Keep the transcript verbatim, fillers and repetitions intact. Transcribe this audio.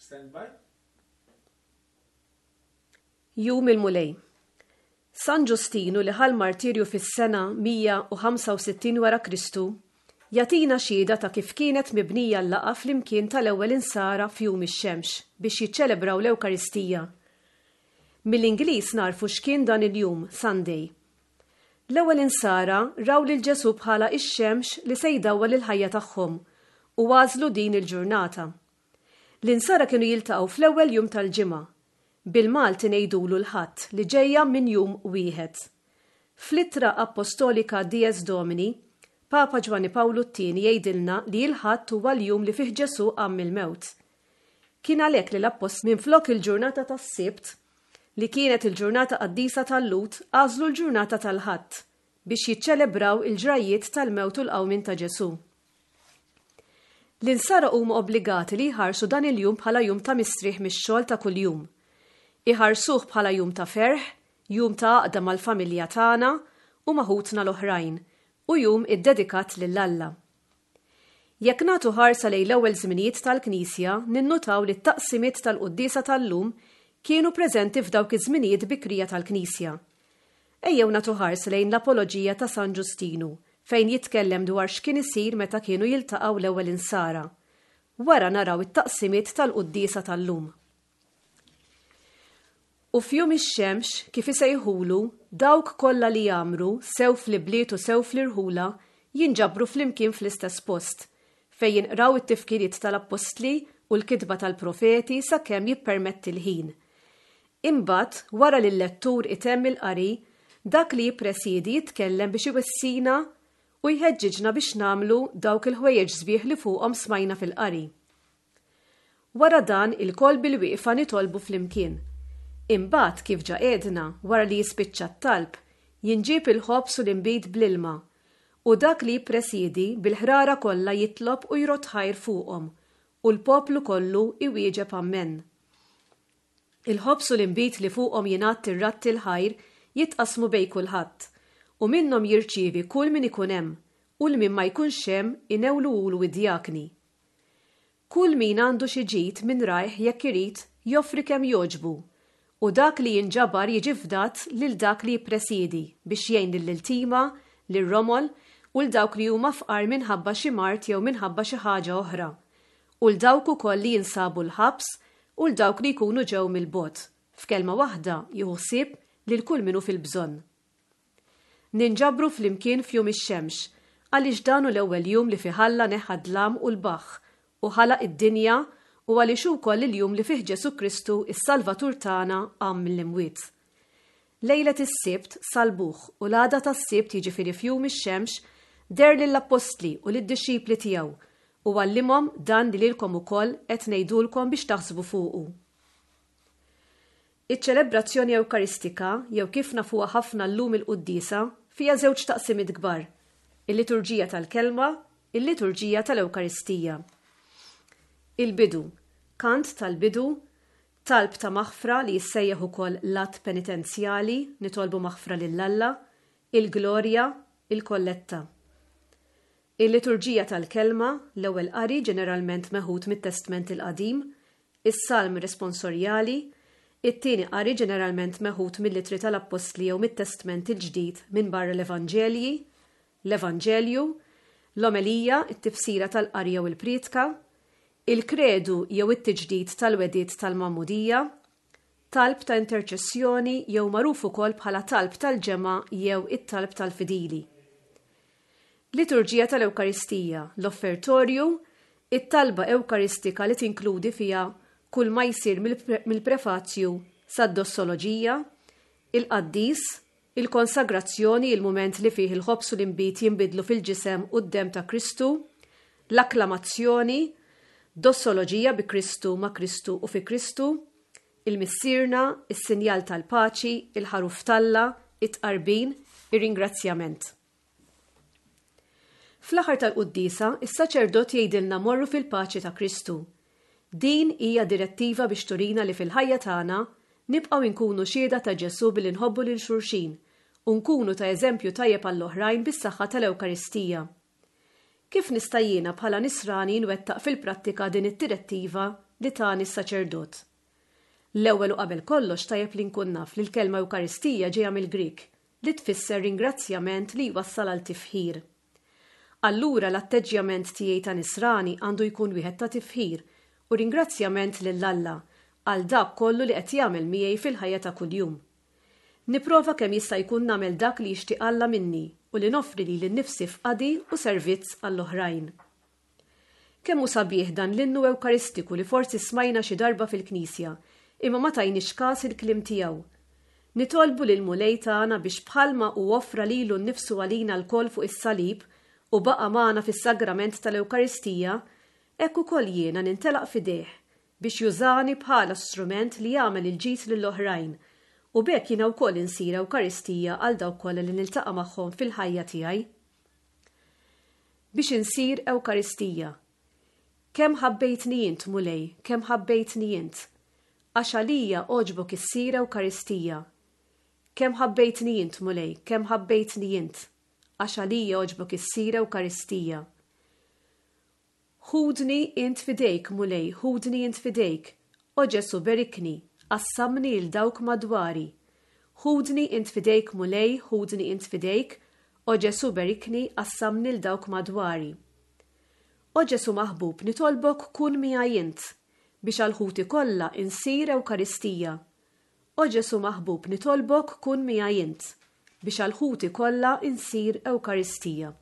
Stand by. Jum il-Mulej. San Ġustinu li ħa l-martirju fis-sena mija u ħamsa u sittin wara Kristu jagħtina xhieda ta' kif kienet mibnija l-laqgħa flimkien tal-ewwel insara f'jum ix-xemx biex jiċċelebraw l-Ewkaristija. Mill-Ingliż narfu x'kien dan il-jum, Sunday. L-ewwel insara raw lil Ġesù bħala ix-xemx li se jdawwal il-ħajja tagħhom u għażlu din il-ġurnata. L-insara kienu jiltaqgħu fl-ewwel jum tal-ġimgħa. Bil-Malti ngħidulu l-Ħadd li ġejja minn jum wieħed. Fl-ittra apostolika Dies Domini, Papa Ġwanni Pawlu t-tieni jgħidilna li l-Ħadd huwa l-jum li fih Ġesù qam mill-mewt. Kien għalhekk li l-appostli minflok il-ġurnata tas-Sibt, li kienet il-ġurnata qaddisa tal-Lhud, għażlu l-ġurnata tal-Ħadd biex jiċċelebraw il-ġrajjiet tal-mewt u l-qawmien ta' Ġesù. L-insara huma obbligati li jħarsu dan il-jum bħala jum ta' mistrieħ mix-xogħol ta' kuljum. Iħarsuh bħala jum ta' ferħ, jum ta' għaqda mal-familja tagħna u ma' ħutna l-oħrajn, u jum iddedikat lil Alla. Jekk nagħtu ħarsa lejn l-ewwel żminijiet tal-Knisja, ninnutaw li t-taqsimiet tal-quddiesa tal-lum kienu preżenti f'dawk iż-żminijiet bikrija tal-Knisja. Ejjew nagħtu ħarsa lejn l-Apoloġija ta' San Ġustinu, fejn jitkellem dwar x'kien isir meta kienu jiltaqgħu l-ewwel insara. Wara naraw it-taqsimiet tal-quddiesa tal-lum. U f'jum ix-xemx, kif isejħulu, dawk kollha li jagħmru, sew fl-ibliet u sew fl-irħula, jinġabru flimkien fl-istess post, fejn jinqraw it-tifkiriet tal-appostli u l-kitba tal-profeti sakemm jippermetti l-ħin. Imbagħad, wara li l-lettur itemm il-qari, dak li jippresidi jitkellem biex iwissina u jħeġġiġna biex nagħmlu dawk il-ħwejjeġ sbieħ li fuqhom smajna fil-qari. Wara dan ilkoll bil-wieqfa nitolbu flimkien. Imbagħad kif ġa għedna, wara li jispiċċa t-talb, jinġib il-ħobż u l-inbid bl-ilma, u dak li jippresidi bil-ħrara kollha jitlob u jrod ħajr fuqhom, u l-poplu kollu iwieġeb ammen. Il-ħobż u l-inbid li fuqhom jingħad ir-radd il-ħajr jitqasmu bejn kulħadd, u minnhom jirċievi kull min ikun hemm, u l min ma jkunx hemm inewluhulu id-djakni. Kull min għandu xi ġid minn rajh jekk irid joffri kemm jogħġbu, u dak li jinġabar jiġi fdat lil dak li jippresidi biex jgħin lill-iltima, lir-romol u l dawk li huma fqar minħabba xi mard jew minħabba xi ħaġa oħra, u l dawk ukoll li jinsabu l-ħabs u l dawk li jkunu ġew mill-bogħod. F'kelma waħda jieħu ħsieb lil kull min hu fil-bżonn. Ninġabru flimkien f'jum ix-xemx, għaliex dan hu l-ewwel jum li fih Alla neħħa d-dlam u l-baħħ u ħalaq id-dinja, u għaliex ukoll il-jum li fih Ġesù Kristu is-Salvatur tagħna qam mill-imwiet. Lejlet is-Sibt salbuh u l-għada tas-Sibt, jiġifieri f'jum ix-xemx, deher lill-appostli u lid-dixxipli tiegħu u għallimhom dan li lilkom ukoll qed ngħidulkom biex taħsbu fuqu. Iċ-ċelebrazzjoni Ewkaristika, jew kif nafuha ħafna llum il-quddiesa, fiha żewġ taqsimiet kbar: il-liturġija tal-kelma, il-liturġija tal-Ewkaristija. Il-bidu, kant tal-bidu, talb ta' maħfra li jissejjaħ ukoll l-att penitenzjali, nitolbu maħfra lil Alla, il-glorja, il-kolletta. Il-liturġija tal-kelma, l-ewwel qari ġeneralment meħud mit-Testment il-Qadim, is-salm responsorjali, it-tieni qari ġeneralment meħud mill-ittri tal-Appostli jew mit-Testment il-Ġdid minn barra l-Evanġelji, l-Evanġelju, l-omelija, it-tifsira tal-qari jew il-prietka, il-kredu jew it-tiġdid tal-wegħdiet tal-Magħmudija, talb ta' interċessjoni jew magħruf ukoll bħala talb tal-ġemgħa jew it-talb tal-fidili. Liturġija tal-Ewkaristija, l-offertorju, it-talba Ewkaristika li tinkludi fiha kull ma jsir mill-pre-, mill-prefazju sad-dossoloġija, il-qaddis, il-konsagrazzjoni, il-mument li fih il-ħobż u l-inbid jinbidlu fil-ġisem u d-demm ta' Kristu, l-akklamazzjoni, dossoloġija bi Kristu, ma' Kristu u fi Kristu, il-Missierna, is-sinjal tal-paċi, il-ħaruf t'Alla, it-tqarbin, ir-ringrazzjament. Fl-aħħar tal-quddiesa, is-saċerdot jgħidilna morru fil-paċi ta' Kristu. Din hija direttiva biex turina li fil-ħajja tagħna nibqgħu nkunu xhieda ta' Ġesù billi nħobbu lil xulxin u nkunu ta' eżempju tajjeb għall-oħrajn bis-saħħa tal-Ewkaristija. Kif nista' jiena bħala nisrani nwettaq fil-prattika din id-direttiva li tani s-saċerdot. L-ewwel u qabel kollox tajjeb li nkun naf li l-kelma Ewkaristija ġejja mill-Grieg li tfisser ringrazzjament li jwassal għal tifħir. Allura l-atteġġjament tiegħi ta' nisrani għandu jkun wieħed ta' tifħir u ringrazzjament lil Alla għal dak kollu li qed jagħmel miegħi fil-ħajja ta' kuljum. Nipprova kemm jista' jkun nagħmel dak li jixtieq Alla minni u li noffri lili nnifsi f'qadi u servizz għall-oħrajn. Kemm hu sabiħ dan l-innu Ewkaristiku li forsi smajna xi darba fil-Knisja, imma ma tajniex kas il-kliem tiegħu. Nitolbu lil Mulej tagħna biex bħalma hu offra lilu nnifsu għalina lkoll fuq is-salib u baqa' magħna fis-sagrament tal-Ewkaristija, hekk ukoll jiena nintelaq f'idejh biex jużani bħala strument li jagħmel il-ġid lill-oħrajn u b'hekk jiena wkoll insir Ewkaristija għal dawk kollha li niltaqa' magħhom fil-ħajja tiegħi. Biex insir Ewkaristija. Kemm ħabbejtni int, Mulej, kemm ħabbejtni int, għax għalija għoġbok issir Ewkaristija. Kemm ħabbejtni int, Mulej, kemm ħabbejtni int, għax għalija għoġbok issir Ewkaristija. Ħudni int f'idejk, Mulej, ħudni int f'idejk, o Ġesu berikni, qassamni 'l dawk madwari. Ħudni int f'idejk, Mulej, ħudni int f'idejk, o Ġesu berikni, qassamni 'l dawk madwari. O Ġesu maħbub, nitolbok kun miegħi int, biex għal ħuti kollha insir Ewkaristija. O Ġesu maħbub, nitolbok kun miegħi int, biex għal ħuti kollha insir Ewkaristija.